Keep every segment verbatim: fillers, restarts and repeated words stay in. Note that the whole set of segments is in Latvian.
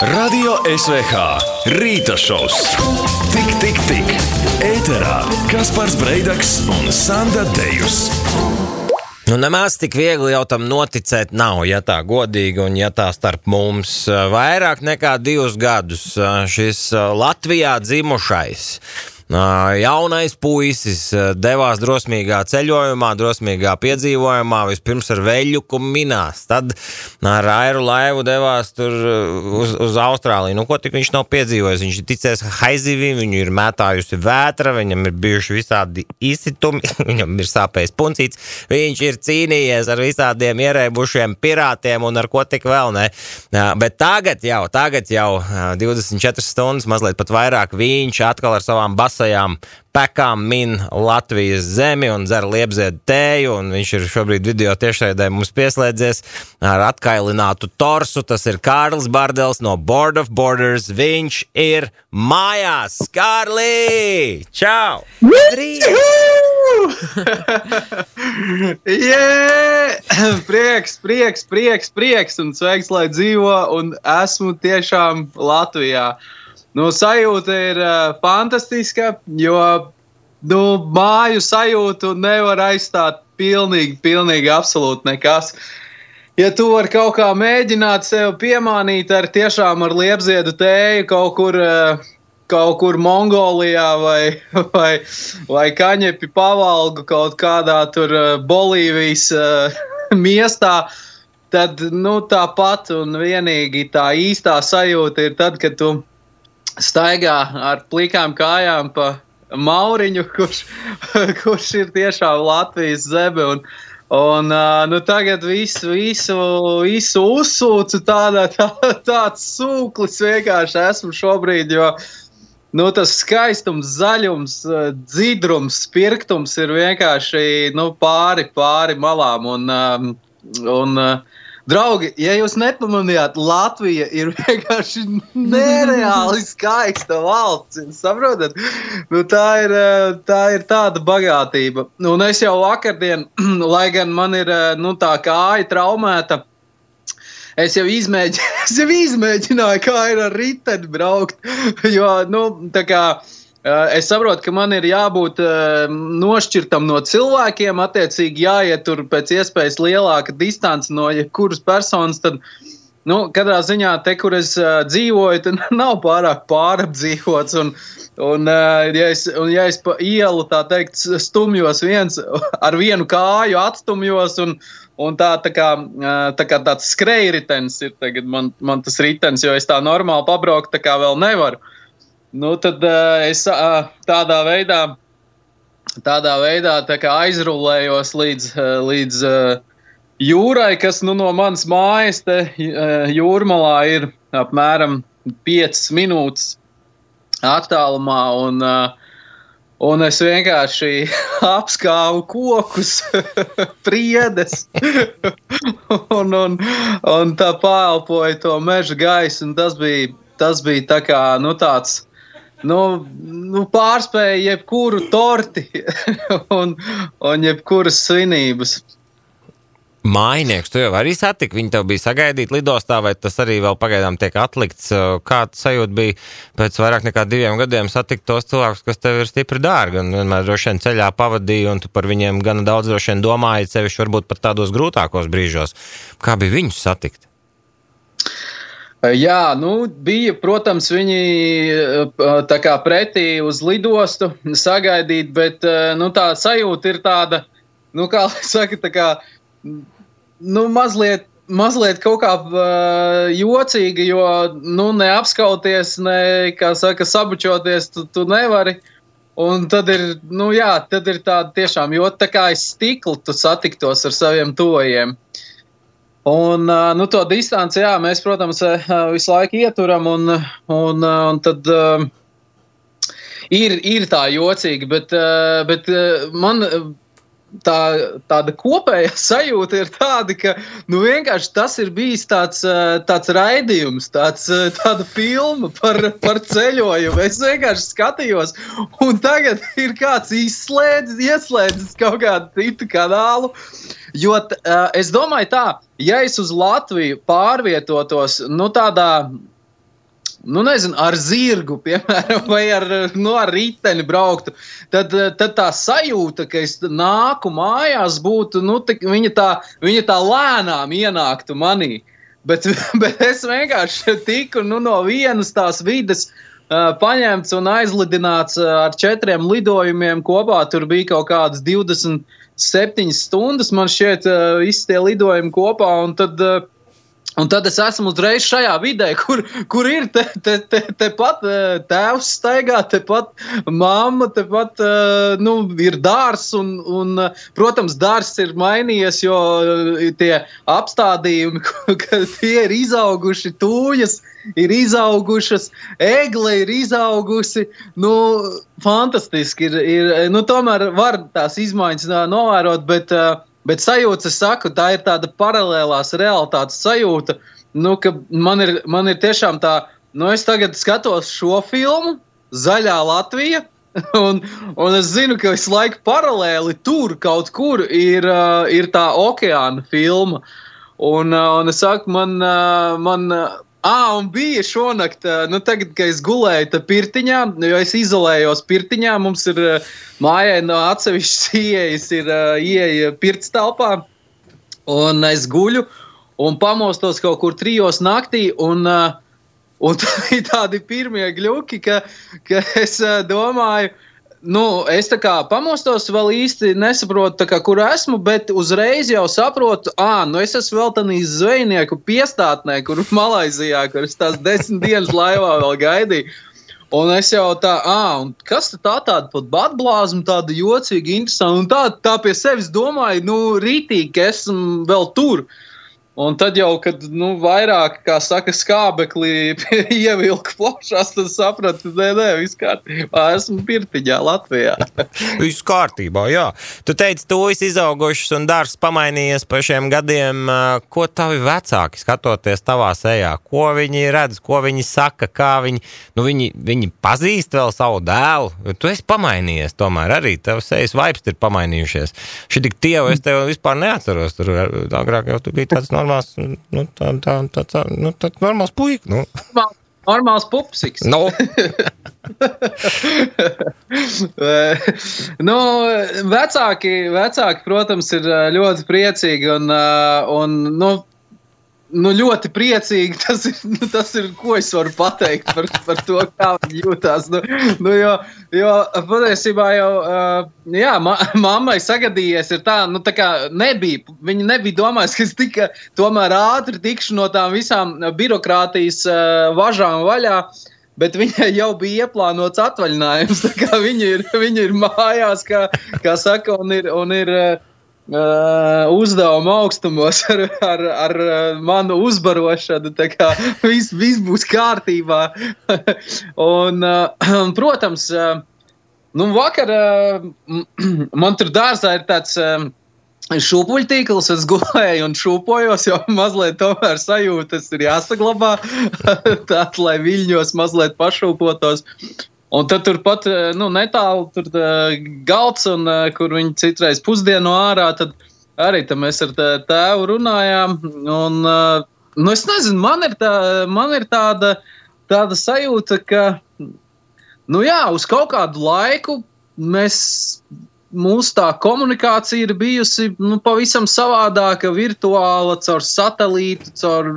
Radio S V H Rīta šovs. Tik, tik, tik. Ēterā Kaspars Breidaks un Sanda Dejus. Nu, nemaz tik viegli jau tam noticēt nav, ja tā godīgi un ja tā starp mums. Vairāk nekā divus gadus šis Latvijā dzimušais jaunais puisis devās drosmīgā ceļojumā, drosmīgā piedzīvojumā, vispirms ar veļuku minās, tad ar aeru laivu devās tur uz, uz Austrāliju. Nu, ko tik viņš nav piedzīvojis? Viņš ir ticējis haizivim, viņu ir mētājusi vētra, viņam ir bijuši visādi izsitumi, viņam ir sāpējis puncīts, viņš ir cīnījies ar visādiem ierēbušiem pirātiem un ar ko tik vēl, ne? Bet tagad jau, tagad jau divdesmit četras stundas, mazliet pat vairāk, viņš atkal ar savām basām sajām pekām min Latvijas zemi un dzer liepziedu tēju, un viņš ir šobrīd video tiešraidē mums pieslēdzies ar atkailinātu torsu. Tas ir Kārlis Bardels no Board of Borders. Viņš ir mājās. Kārli! Čau! yeah! Prieks, prieks, prieks, prieks un sveiks, lai dzīvo, un esmu tiešām Latvijā. Nu, sajūta ir uh, fantastiska, jo nu, māju sajūtu nevar aizstāt pilnīgi, pilnīgi absolūti nekas. Ja tu vari kaut kā mēģināt sev piemānīt ar tiešām ar liepziedu tēju kaut kur, uh, kaut kur Mongolijā vai, vai, vai kaņepi pavalgu kaut kādā tur uh, Bolīvijas uh, miestā, tad nu, tāpat un vienīgi tā īstā sajūta ir tad, kad tu staigā ar plikām kājām pa Mauriņu, kurš, kurš ir tiešām Latvijas zeme, un, un nu, tagad visu, visu, visu uzsūcu tādā, tā, tāds sūklis vienkārši esmu šobrīd, jo nu, tas skaistums, zaļums, dzidrums, spirktums ir vienkārši nu, pāri, pāri malām, un, un draugi, ja jūs nepamanījāt, Latvija ir vienkārši nereāli skaista valsts, saprotat? Nu, tā ir, tā ir tāda bagātība. Un es jau vakardien, lai gan man ir nu, tā kāja traumēta, es jau, izmēģi, es jau izmēģināju, kā ir ar riteni braukt, jo, nu, tā kā, es saprotu, ka man ir jābūt nošķirtam no cilvēkiem, attiecīgi jāiet tur pēc iespējas lielāka distance no jebkuras personas, tad, nu, katrā ziņā te, kur es dzīvoju, tad nav pārāk pārapdzīvots, un, un, ja es, un ja es pa ielu, tā teikt, stumjos viens, ar vienu kāju atstumjos, un, un tā, tā kā, tā kā tāds skrejritens ir tagad man, man tas ritens, jo es tā normāli pabraukt tā kā vēl nevaru. Nu, tad uh, es uh, tādā veidā, tādā veidā tā kā aizrullējos līdz, uh, līdz uh, jūrai, kas nu, no manas mājas te uh, jūrmalā ir apmēram piecas minūtes attālumā, un, uh, un es vienkārši apskāvu kokus, priedes, un, un, un tā paelpoju to meža gaisu, un tas bija, tas bija tā kā, nu, tāds, Nu, nu, pārspēja jebkuru torti un, un jebkuras svinības. Mājnieks, tu jau arī satik, viņi tev bija sagaidīt lidostā, vai tas arī vēl pagaidām tiek atlikts? Kāds sajūt bija pēc vairāk nekā diviem gadiem satikt tos cilvēkus, kas tev ir stipri dārgi, un vienmēr droši vien ceļā pavadīja, un tu par viņiem gana daudz droši vien domāji, sevišķi varbūt pat tādos grūtākos brīžos. Kā bija viņus satikt? Jā, nu, bija, protams, viņi tā kā pretī uz lidostu sagaidīt, bet, nu, tā sajūta ir tāda, nu, kā saka, tā kā, nu, mazliet, mazliet kaut kā uh, jocīga, jo, nu, neapskauties, ne, kā saka, sabučoties, tu, tu nevari, un tad ir, nu, jā, tad ir tāda tiešām, jo tā kā aiz stikla tu satiktos ar saviem tojiem. Un, nu, to distanci, jā, mēs, protams, visu laiku ieturam, un, un, un tad uh, ir, ir tā jocīgi, bet, uh, bet uh, man tā, tāda kopējā sajūta ir tāda, ka, nu, vienkārši tas ir bijis tāds, uh, tāds raidījums, tāds, uh, tāda filma par, par ceļojumu. Es vienkārši skatījos, un tagad ir kāds izslēdzis, ieslēdzis kaut kādu citu kanālu, jo uh, es domāju tā, ja es uz Latviju pārvietotos, nu tādā nu nezinu, ar zirgu, piemēram, vai ar, nu, ar riteni brauktu, tad, tad tā sajūta, ka es nāku mājās, būtu, nu, tā, viņa, tā, viņa tā lēnām ienāktu manī. Bet, bet es vienkārši tiku, nu, no vienas tās vides uh, paņemts un aizlidināts ar četriem lidojumiem kopā. Tur bija kaut kādas divdesmit septiņas stundas, man šķiet, uh, visi tie lidojumi kopā, un tad... Uh, Un tad es esmu uzreiz šajā vidē, kur, kur ir te, te, te, te pat tēvs staigā, te pat mamma, te pat, nu, ir dārs, un, un, protams, dārs ir mainījies, jo tie apstādījumi, ka tie ir izauguši tūjas, ir izaugušas, egle ir izaugusi, nu, fantastiski ir, ir, nu, tomēr var tās izmaiņas novērot, bet, Bet sajūta, es saku, tā ir tāda paralēlās realitātes sajūta, nu, ka man ir, man ir tiešām tā, nu, es tagad skatos šo filmu, Zaļā Latvija, un, un es zinu, ka visu laiku paralēli tur kaut kur ir, uh, ir tā okeāna filma. Un, uh, un es saku, man, uh, man Ā, un bija šonakt, nu tagad, kad es gulēju te pirtiņā, jo es izolējos pirtiņā, mums ir mājai no atsevišķas ieejas ir ieeja pirts telpā, un es guļu un pamostos kaut kur trijos naktī, un, un tādi pirmie gļuki, ka, ka es domāju, nu, es tā kā pamostos vēl īsti nesaprotu, tā kā, kur esmu, bet uzreiz jau saprotu, ā, nu es esmu vēl tanī zvejnieku piestātnē, kur Malaizijā, kur es tās desmit dienas laivā vēl gaidīju. Un es jau tā, ā, un kas tā tāda pat batblāzma, tāda jocīga, interesanta, un tā, tā pie sevis domāju, nu, rītīgi, ka esmu vēl tur. Un tad jau, kad, nu, vairāk, kā saka, skābeklī ievilka plašās, tad sapratu, nē, nē, viss kārtībā, esmu pirtiņā Latvijā. Viss kārtībā, jā. Tu teici, tu esi izaugušas un dārs pamainījies pa šiem gadiem. Ko tavi vecāki skatoties tavā sejā? Ko viņi redz, ko viņi saka, kā viņi, nu, viņi, viņi pazīst vēl savu dēlu? Tu esi pamainījies tomēr arī, tev sejas vibes ir pamainījušies. Šī tik tievu es tev vispār neatceros, tur agrāk jau tu biji tāds normāls, nu, tā, tā, tā, tā, nu, tāds normāls puika, nu. Normāls pupsiks. No. nu, vecāki, vecāki, protams, ir ļoti priecīgi un, un nu, nu, ļoti priecīgi. Tas ir, nu, tas ir, ko es varu pateikt par, par to, kā viņi jūtās. Nu, nu, jo, jo patiesībā jau, jā, ma, mammai sagadījies ir tā, nu, tā kā nebija, viņi nebija domājis, ka es tika tomēr ātri tikšu no tām visām birokrātijas važām vaļā, bet viņai jau bija ieplānots atvaļinājums, tā kā viņi ir, viņi ir mājās, kā, kā saka, un ir, un ir Uh, uzdevuma augstumos ar, ar, ar manu uzbarošanu, tā kā viss, viss būs kārtībā. un, uh, protams, uh, nu vakar uh, man tur dārzā ir tāds uh, šūpuļtīkls, es gulēju un šūpojos, jo mazliet tomēr sajūtas ir jāsaglabā, tād, lai viļņos mazliet pašūpotos. Un tad turpat, nu, netālu tur galds, un kur viņi citreiz pusdienu ārā, tad arī tad mēs ar tēvu runājām, un, nu, es nezinu, man ir, tā, man ir tāda, tāda sajūta, ka, nu jā, uz kaut kādu laiku mēs, mūsu tā komunikācija ir bijusi, nu, pavisam savādāka, virtuāla, caur satelītu, caur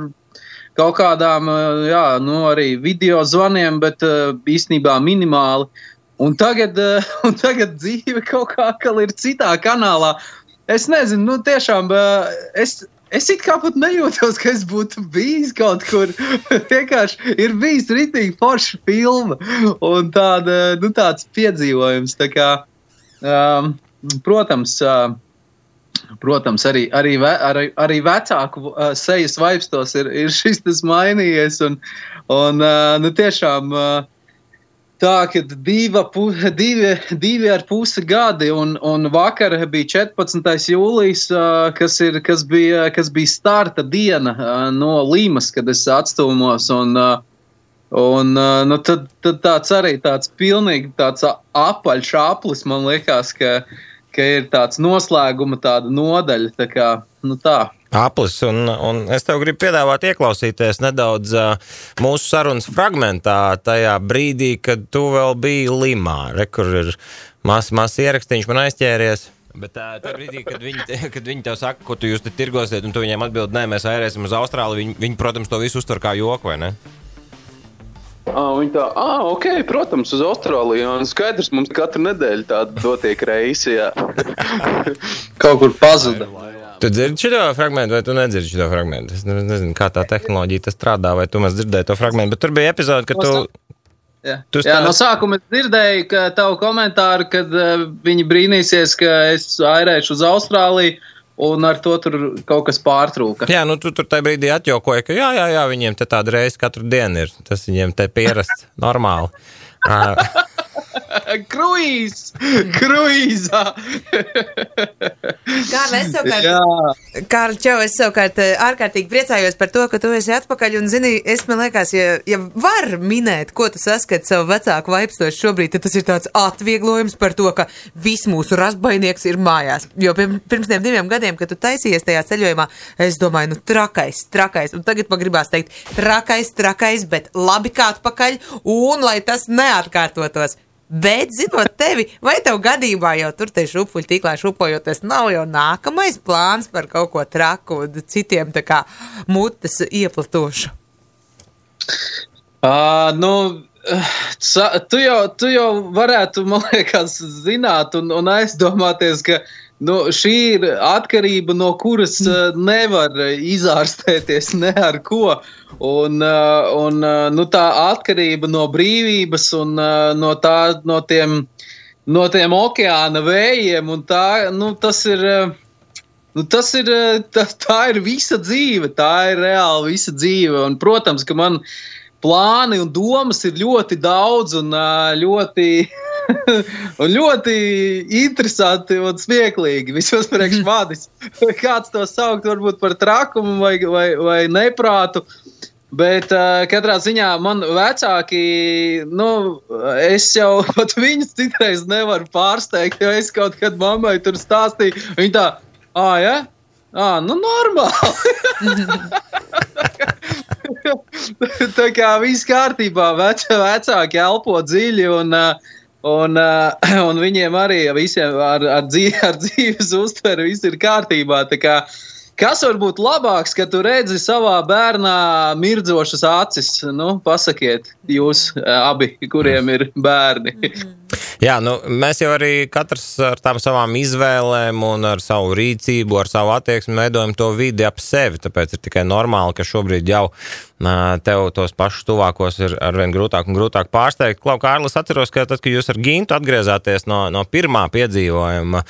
kaut kādām, jā, nu, arī video zvaniem, bet īstenībā minimāli. Un tagad, un tagad dzīve kaut kā ir citā kanālā. Es nezinu, nu, tiešām, es, es it kā pat nejūtos, ka es būtu bijis kaut kur. Vienkārši ir bijis ritīgi forša filma un tāda, nu, tāds piedzīvojums. Tā kā, um, protams, uh, Protams, arī, arī, arī, arī vecāku uh, sejas vaipstos ir, ir šis tas mainījies, un, un uh, nu, tiešām uh, tā, ka diva, pu, divi, divi ar pusi gadi, un, un vakar bija četrpadsmitais jūlijas, uh, kas, ir, kas, bija, kas bija starta diena uh, no Limas, kad es atstūmos, un, uh, un uh, nu, tad, tad tāds arī tāds pilnīgi tāds apaļš aplis, man liekas, ka ka ir tāds noslēguma tāda nodaļa, tā kā, nu tā. Aplis, un, un es tev gribu piedāvāt ieklausīties nedaudz uh, mūsu sarunas fragmentā tajā brīdī, kad tu vēl biji Limā. Re, kur ir mazs mas ierakstīņš man aizķēries. Bet tā, tā brīdī, kad viņi, kad viņi tev saka, ko tu jūs te tirgosiet, un tu viņiem atbild, nē, mēs airēsim uz Austrāliju, viņi, viņi, protams, to visu uztver kā joku, vai ne? Ah, viņi tā, ah, ok, protams, uz Austrāliju, un skaidrs, mums katru nedēļu tāda dotiek reisi, jā. Kaut kur pazuda. Tu dzirdi šito fragmentu, vai tu nedzirdi šito fragmentu? Es nezinu, kā tā tehnoloģija tas strādā, vai tu maz dzirdēji to fragmentu, bet tur bija epizode, ka tu... Jā, tu jā no sākuma es dzirdēju, ka tavu komentāru, kad uh, viņi brīnīsies, ka es airēšu uz Austrāliju, un ar to tur kaut kas pārtrūka. Jā, nu tu tur tajā brīdī atjokoja, ka jā, jā, jā, viņiem te tāda reize katru dienu ir. Tas viņiem te pierasts normāli. Kruīz! Kruīzā! Kārli, es savukārt, Kārli, čau, es savukārt ārkārtīgi priecājos par to, ka tu esi atpakaļ, un zini, es man liekas, ja, ja var minēt, ko tu saskat savu vecāku vaipstošu šobrīd, tad tas ir tāds atvieglojums par to, ka viss mūsu rastbainieks ir mājās. Jo pirms tiem diviem gadiem, kad tu taisījies tajā ceļojumā, es domāju, nu trakais, trakais, un tagad man gribās teikt, trakais, trakais, bet labi kā atpakaļ, un lai tas neatkārtotos. Bet, zinot tevi, vai tev gadījumā jau tur te šupuļu tīklā šupojoties, nav jau nākamais plāns par kaut ko traku un citiem tā kā mutes ieplatošu? Uh, nu, tu jau, tu jau varētu, man liekas, zināt un, un aizdomāties, ka nu, šī ir atkarība, no kuras uh, nevar izārstēties ne ar ko. Un, uh, un uh, nu, tā atkarība no brīvības un uh, no, tā, no, tiem, no tiem okeāna vējiem, un tā, nu, tas ir, uh, nu, tas ir tā, tā ir visa dzīve, tā ir reāli visa dzīve. Un, protams, ka man plāni un domas ir ļoti daudz un uh, ļoti... un ļoti interesanti un smieklīgi. Vismaz priekš manis. Kāds to saukt varbūt par trakumu vai, vai, vai neprātu. Bet uh, katrā ziņā man vecāki, nu, es jau pat viņus citreiz nevaru pārsteigt, jo es kaut kad mammai tur stāstīju. Viņa tā, ā, ja? Ā, nu normāli. Tā kā viss kārtībā, vec, vecāki elpo dziļi un... Uh, Un, uh, un viņiem arī visiem ar, ar, dzīve, ar dzīves uztveri viss ir kārtībā. Tā kā, kas var būt labāks, ka tu redzi savā bērnā mirdzošas acis? Nu, pasakiet jūs abi, kuriem ir bērni. Jā, nu, mēs jau arī katrs ar tām savām izvēlēm un ar savu rīcību, ar savu attieksmi veidojam to vidi ap sevi, tāpēc ir tikai normāli, ka šobrīd jau tev tos pašus tuvākos ir arvien grūtāk un grūtāk pārsteigt. Klau, Kārli, es atceros, ka tad, kad jūs ar Gintu atgriezāties no, no pirmā piedzīvojuma,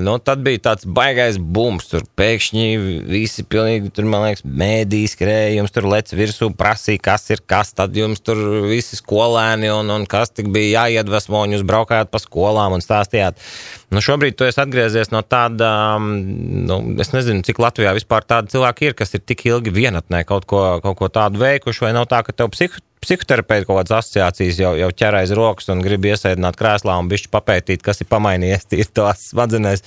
nu, tad bija tāds baigais bums, tur pēkšņi visi pilnīgi, tur, man liekas, mēdī skrēja, jums tur lec virsū, prasīja, kas ir kas, tad jums tur visi skolēni un, un kas tik bija jāiedvesmo, un jūs braukājāt pa skolām un stāstījāt. Nu, šobrīd tu esi atgriezies no tāda, nu, es nezinu, cik Latvijā vispār tādi cilvēki ir, kas ir tik ilgi vienatnē kaut ko, kaut ko tādu veikuši, vai nav tā, ka tev psihu, psihoterapeiti kaut kādas asociācijas jau, jau ķer aiz rokas un grib iesēdināt krēslā un bišķi papētīt, kas ir pamainījies tīri tās smadzenēs,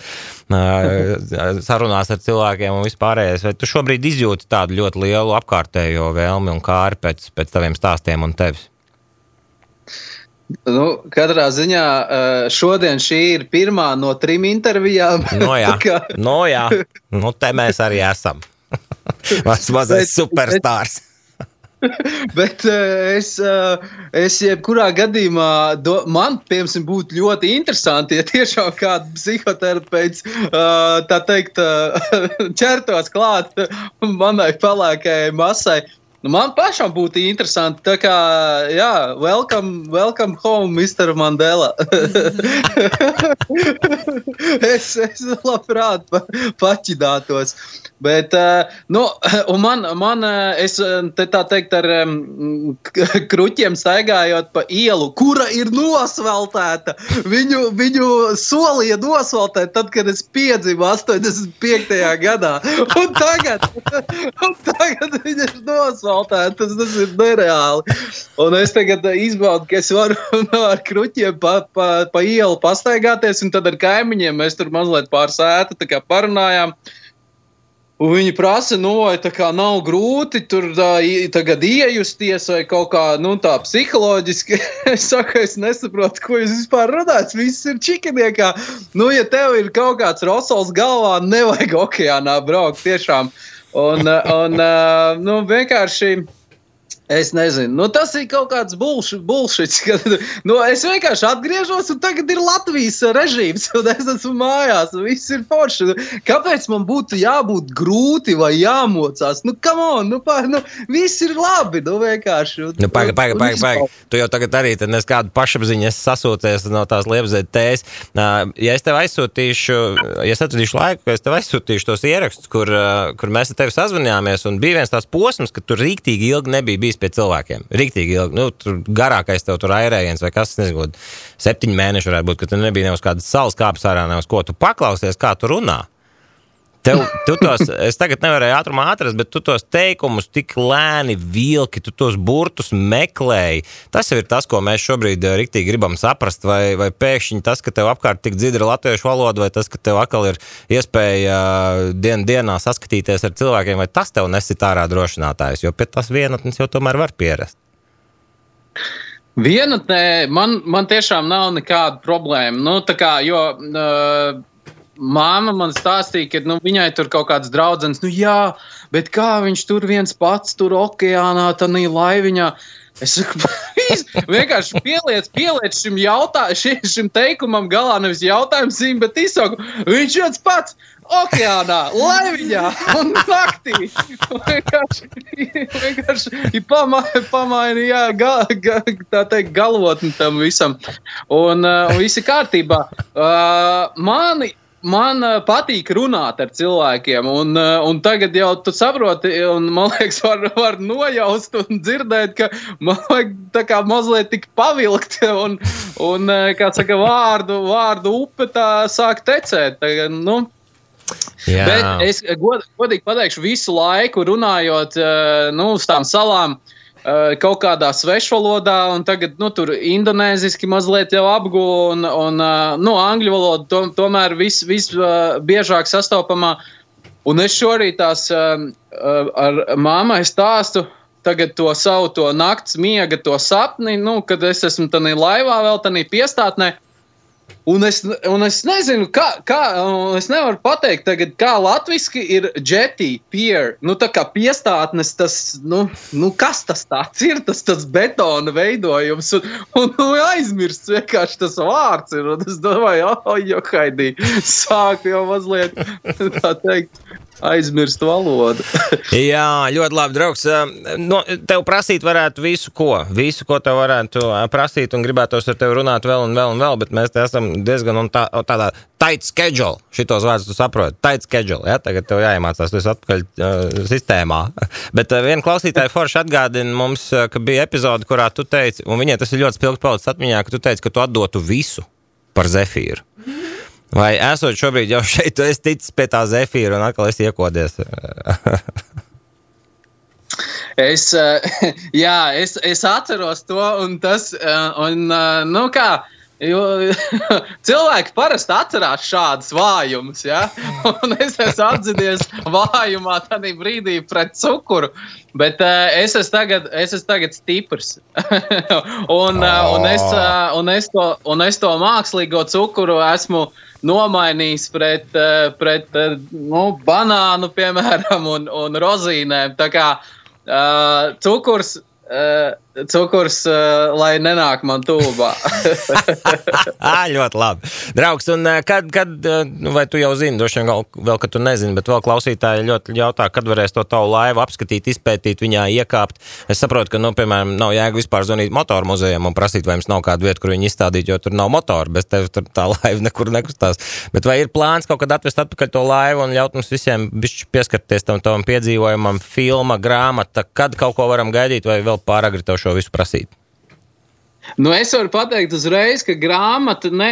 sarunās ar cilvēkiem un vispārējais. Vai tu šobrīd izjūti tādu ļoti lielu apkārtējo vēlmi un kāri pēc, pēc taviem stāstiem un tevis? Nu, katrā ziņā šodien šī ir pirmā no trim intervijām. No jā, no jā. Nu, te mēs arī esam. Maz mazais superstārs. Bet es, es jebkurā gadījumā, do, man, piemēram, būtu ļoti interesanti, ja tiešām kāds psihoterapeits, tā teikt, ķertos klāt manai pelēkajai masai. Nu, man pašam būtu interesanti, tā kā, jā, welcome, welcome home, mister Mandela. es, es labprāt pa, paķidātos. Bet, nu, un man, man es te tā teikt ar um, kruķiem staigājot pa ielu, kura ir nosveltēta. Viņu, viņu solīja nosveltēt tad, kad es piedzimu astoņdesmit piektajā gadā. Un tagad, un tagad viņa ir nosveltēta. asfaltēt, tas, tas ir nereāli. Un es tagad izbaudu, ka es varu no, ar kruķiem pa, pa, pa ielu pastaigāties, un tad ar kaimiņiem mēs tur mazliet pār sētu, tā kā parunājām. Un viņi prasa, nu, vai tā kā nav grūti tur tā, tagad iejusties vai kaut kā, nu, tā psiholoģiski. Es saku, es nesaprotu, ko jūs vispār runājat, viss ir čikiniekā. Nu, ja tev ir kaut kāds rosols galvā, nevajag okeānā braukt tiešām. Un, un nu, vienkārši... Es nezinu, nu tas ir kaut kāds bullshits, kad, nu es vienkārši atgriežos un tagad ir Latvijas režīms un es esmu mājās un viss ir forši. Kāpēc man būtu jābūt grūti vai jāmocās? Nu, come on, nu, pa, nu viss ir labi, nu vienkārši. Un, nu, paga, paga, paga, paga. Tu jau tagad arī tad nes kādu pašapziņu esi sasūties no tās liepzēt tēs. Ja es tev aizsūtīšu, ja es atradīšu laiku, es tev aizsūtīšu tos ierakstus, kur, kur mēs ar tevi sazvanījāmies un bija viens tās posms, ka tur rīktīgi ilgi nebija bijis pie cilvēkiem. Riktīgi ilgi. Nu, tur garākais tev tur airējiens vai kas, nezinu, septiņi mēneši varētu būt, ka tu nebija ne uz kādas salas kāpes ārā, ne uz ko tu paklausies, kā tu runā. Tev, tu tos, es tagad nevarēju ātrumā atrast, bet tu tos teikumus tik lēni vilki, tu tos burtus meklēji. Tas jau ir tas, ko mēs šobrīd riktīgi gribam saprast, vai, vai pēkšņi tas, ka tev apkārt tik dzidra latviešu valoda, vai tas, ka tev atkal ir iespēja dien dienā saskatīties ar cilvēkiem, vai tas tev nesit ārā drošinātājs, jo pie tas vienatnes jau tomēr var pierast. Vienatnē man, man tiešām nav nekāda problēma. Nu, tā kā, jo... Uh, Māma man stāstīja, ka nu, viņai tur kaut kāds draudzenes, nu jā, bet kā viņš tur viens pats tur okeānā, tanī laiviņā. Es saku, vienkārši pieliec, pieliec šim, jautā, šim, šim teikumam galā nevis jautājums, bet izsaku, viņš viens pats okeānā, laiviņā un naktī. Vienkārši, vienkārši pamaini, pamaini jā, ga, ga, tā teikt, galvotni tam visam. Un, un visi kārtībā. Uh, mani Man patīk runāt ar cilvēkiem, un, un tagad jau tu saproti, un man liekas, var, var nojaust un dzirdēt, ka man vajag tā kā mazliet tik pavilkt, un, un kā saka, vārdu, vārdu upe tā sāk tecēt. Tagad, nu. Jā. Bet es god, godīgi pateikšu visu laiku runājot, nu, uz tām salām, kaut kādā svešvalodā, un tagad, nu, tur indonēziski mazliet jau apguvu, un, un nu, angļu valoda to, tomēr vis, vis biežāk sastopamā. Un es šorīt tās ar māmai stāstu tagad to savu to nakts miega, to sapni, nu, kad es esmu tanī laivā vēl tanī piestātnē. Un es, un es nezinu, kā, kā, es nevaru pateikt tagad, kā latviski ir jetty, pier, nu tā kā piestātnes, tas, nu, nu kas tas tāds ir, tas, tas betona veidojums, un, un, un aizmirsts vienkārši tas vārds ir, un es domāju, oh, johaidī, sāk jau mazliet, tā teikt, aizmirst valodu. Jā, ļoti labi, draugs. No, tev prasīt varētu visu ko, visu, ko tev varētu prasīt, un gribētos ar tevi runāt vēl un vēl un vēl, bet mēs te esam diezgan un tā, tādā tight schedule, šitos vārdus tu saproti, tight schedule, ja, tagad tev jāiemācās, tu esi atpakaļ uh, sistēmā. Bet uh, viena klausītāja forši atgādina mums, uh, ka bija epizode, kurā tu teici, un viņai tas ir ļoti spilgti palicis atmiņā, ka tu teici, ka tu atdotu visu par Zefīru. Vai esot šobrīd jau šeit, tu esi ticis pie tā Zefīra un atkal esi iekodies? es, jā, es, es atceros to, un tas, un, nu kā, jo cilvēki parasti atcerās šādas vājumus, ja? Un es esmu atzinies vājumā tādā brīdī pret cukuru, bet uh, es esmu tagad, es esmu tagad stiprs. un, uh, un, es, uh, un, es to, un es to mākslīgo cukuru esmu nomainījis pret, uh, pret uh, nu, banānu, piemēram, un, un rozīnēm. Tā kā uh, cukurs, uh, cukurs uh, lai nenāk man tūbā. Ļoti labi. Draugs, un kad, kad, vai tu jau zini, droši vien vēl, ka tu nezini, bet vēl klausītāji ļoti jautā, kad varēs to tavu laivu apskatīt, izpētīt, viņā iekāpt. Es saprotu, ka, nu, piemēram, nav jēga vispār zvanīt motoru muzejam un prasīt, vai jums nav kāda vieta, kur viņi izstādīt, jo tur nav motoru, bez tevis tur tā laiva nekur nekustās. Bet vai ir plāns kaut kad atvest atpakaļ to laivu un ļaut mums visiem bišķi pieskarties tam tavam piedzīvojumam, filma, grāmata, kad kaut ko varam gaidīt, vai vēl pāragri tev šo visu prasīt? Nu, es varu pateikt uzreiz, ka grāmata, ne,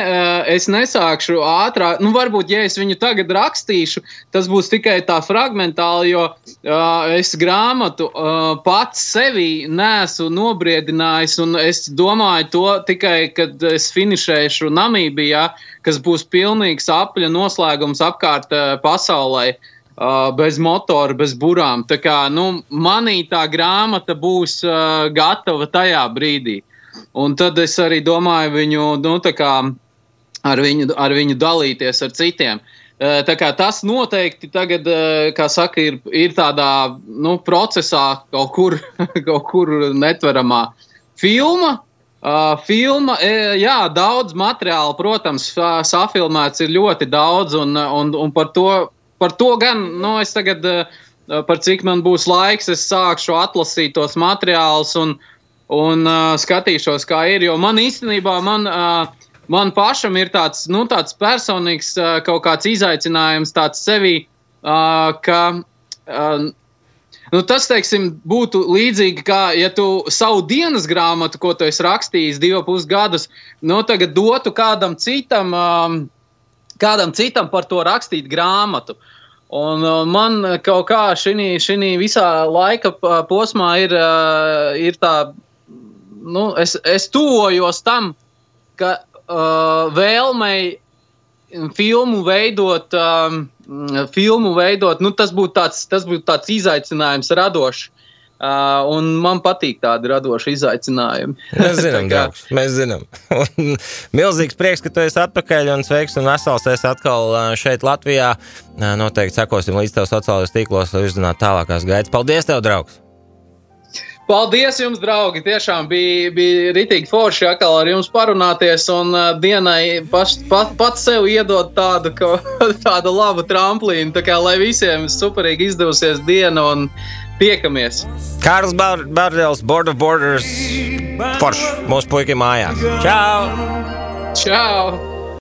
es nesākšu ātrāk, nu, varbūt, ja es viņu tagad rakstīšu, tas būs tikai tā fragmentāli, jo uh, es grāmatu uh, pats sevī neesmu nobriedinājis, un es domāju to tikai, kad es finišēšu Namībijā, kas būs pilnīgs apļa noslēgums apkārt uh, pasaulē, uh, bez motora, bez burām. Tā kā, nu, manī tā grāmata būs uh, gatava tajā brīdī. Un tad es arī domāju viņu, nu, tā kā ar viņu, ar viņu dalīties ar citiem. Tā kā tas noteikti tagad, kā saka, ir, ir tādā, nu, procesā kaut kur, kaut kur netveramā. Filma, filma, jā, daudz materiāla, protams, safilmēts ir ļoti daudz, un, un, un par to, par to gan, nu, es tagad, par cik man būs laiks, es sākšu atlasīt tos materiālus un un uh, skatīšos, kā ir, jo man īstenībā, man, uh, man pašam ir tāds, nu, tāds personīgs uh, kaut kāds izaicinājums tāds sevī, uh, ka, uh, nu, tas, teiksim, būtu līdzīgi, kā, ja tu savu dienas grāmatu, ko tu esi rakstījis divu pus gadus, nu, tagad dotu kādam citam, um, kādam citam par to rakstīt grāmatu. Un uh, man kaut kā šinī, šinī visā laika posmā ir, uh, ir tā, nu, es, es tuvojos tam, ka uh, vēlmei filmu veidot, um, filmu veidot, nu, tas būtu tāds, tas būtu tāds izaicinājums radošs. Uh, un man patīk tādi radoši izaicinājumi. Mēs zinām, draugs, mēs zinām. Un milzīgs prieks, ka tu esi atpakaļ un sveiks un vesels esi atkal šeit Latvijā. Noteikti sekosim līdz tev sociālajos tīklos, lai uzzinātu tālākās gaitas. Paldies tev, draugs! Paldies jums, draugi! Tiešām bija, bija ritīgi forši atkal ar jums parunāties un uh, dienai paš, pat, pat sev iedot tādu, ka, tādu labu tramplīnu, tā kā lai visiem superīgi izdevusies diena un tiekamies. Kārls Bardels, Board of Borders, forši, mūsu puikiem mājās. Čau! Čau!